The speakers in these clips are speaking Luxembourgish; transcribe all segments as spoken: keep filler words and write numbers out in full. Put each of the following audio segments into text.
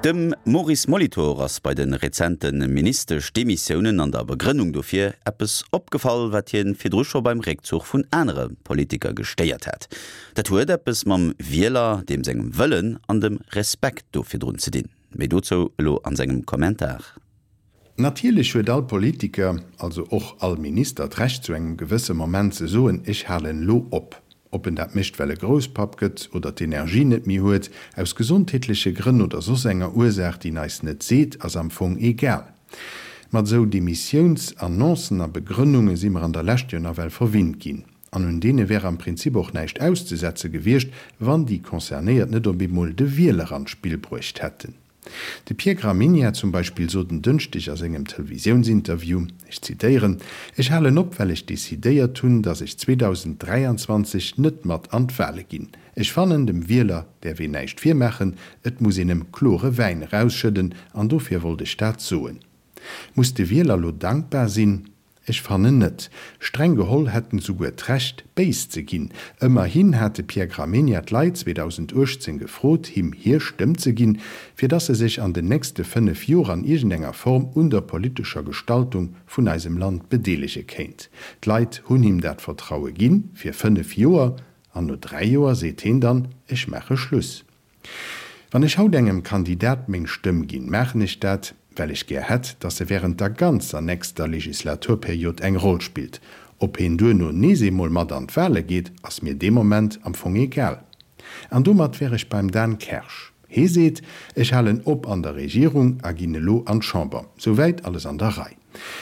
Dem Maurice Molitor ass bei de rezente Ministeschdemissiounen an der Begrënnung dofir eppes opgefall, wat hien virdru scho beim Réckzuch vun anere Politiker gestéiert hat. Dat huet eppes mam Wieler, deem sengem Wëllen an dem Respekt do virdrun ze dinn. Méi dozou elo an sengem Kommentar. Natierlech huet all Politiker, also och all Minister d'Recht zu engem gewësse Moment ze soen, ech halen lo op. Ob en dat mécht well e Grousspapp gëtt oder d'Energie net méi huet, aus gesondheetleche Grënn oder soss enger Ursaach, déi en eis net seet, ass am Fong egal. Mat sou Demissiounsannoncen a Begrënnunge si mer an der Lescht jo nawell verwinnt ginn. An un deene wär am Prinzip och näischt auszesetze gewiescht, wann déi Concernéiert net op eemol de Wieler an d'Spill bruecht hätten. De Pierre Gramegna zum Beispill sot en Dënschdeg a sengem Televisiounsinterview, ech zitéieren, Ech halen op, well ech decidéiert hunn, datt ech zweedausend dräianzwanzeg net mat an d'Wale ginn. Ech fannen, dem Wieler däerf een näischt virmaachen, et muss een em klore Wäin erausschëdden an dofir wollt ech dat soen. Muss de Wieler lo dankbar sinn? Ech fannen net. Streng geholl hätt en souguer d'Recht, béis ze ginn. Ëmmerhin hat de Pierre Gramegna d'Leit zweedausend uechtzéng gefrot, him hir Stëmm ze ginn, fir dass e sech an den nächste fënnef Joer an iergendenger Form un der politescher Gestaltung vun eisem Land bedeelege kéint. D'Leit hunn him dat Vertraue ginn, fir fënnef Joer, an no dräi Joer seet hien dann, ech maache Schluss. Wann ech haut engem Kandidat meng Stëmm ginn, maachen ech dat, well ech gär hätt, dass e wärend der ganzer nächster Legislaturperiod eng Roll spillt. Ob hien duerno nees eemol mat an d'Wale geet, ass mir dee Moment am Fong egal. An domat wär ech beim Dan Kersch. Hie seet, ech halen op an der Regierung a ginn elo an d'Chamber. Souwäit alles an der Rei.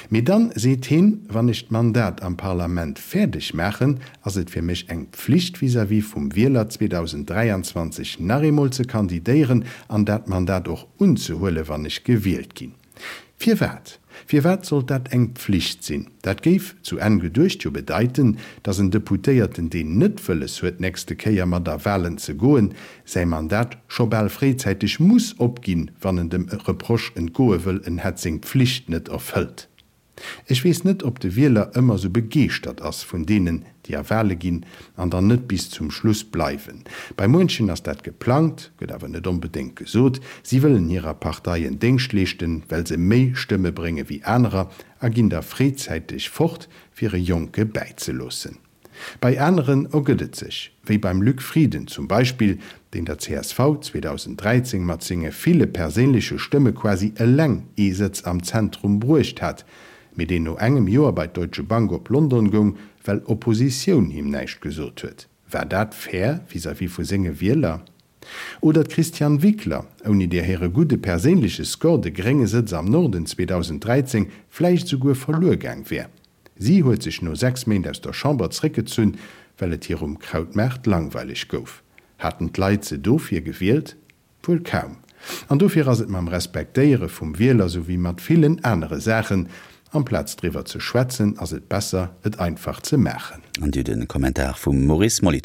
Mee dann seet hien, wann ech d'Mandat am Parlament fäerdeg maachen, ass et fir mech eng Pflicht vis-à-vis vum Wieler zweedausend dräianzwanzeg nach eemol ze kandidéieren an dat Mandat och unzehuelen, wann ech gewielt ginn. Firwat? Firwat sollt dat eng Pflicht sinn? Dat géif zu Enn geduecht jo bedeiten, datt en Deputéierten, deen net wëlles huet nächste Kéier mat a Walen ze goen, säi Mandat scho bal fréizäiteg muss opginn, wann en dem Reproche entgoe wëll, en hätt seng Pflicht net erfëllt. Ech weess net, ob de Wieler ëmmer sou begeeschtert ass vun deenen, déi a Wale ginn an dann net bis zum Schluss bleiwen. Bei muenchen ass dat geplangt, gëtt awer net onbedéngt gesot. Si wëllen hirer Partei en Déngscht leeschten, well se méi Stëmme brénge wéi anerer a ginn da fréizäiteg fort, fir e Jonke bäizeloossen. Bei aneren ergëtt et sech, wéi beim Luc Frieden zum Beispill, deen der C S V zweedausend dräizéng mat senge ville perséinleche Stëmme quasi eleng ee Sëtz am Zentrum bruecht hat, mee deen no engem Joer bei d'Deutsche Bank op London goung, well Oppositioun him näischt gesot huet. War dat fair vis-à-vis vu senge Wieler? Oder d'Christiane Wickler, ouni där hire gudde perséinleche Score de grénge Sëtz am Norden zweedausend dräizéng vläicht souguer verluer gaang wär. Si huet sech no sechs Méint aus der Chamber zréckgezunn, well et hir um Krautmaart langweileg gouf. Haten d'Leit se dofir gewielt? Wuel kaum. An dofir ass et mam Respektéiere vum Wieler sou wéi mat villen anere Saachen, amplaz driwwer ze schwätzen, ass et besser, et einfach ze maachen. An dir de Kommentar vum Maurice Molitor.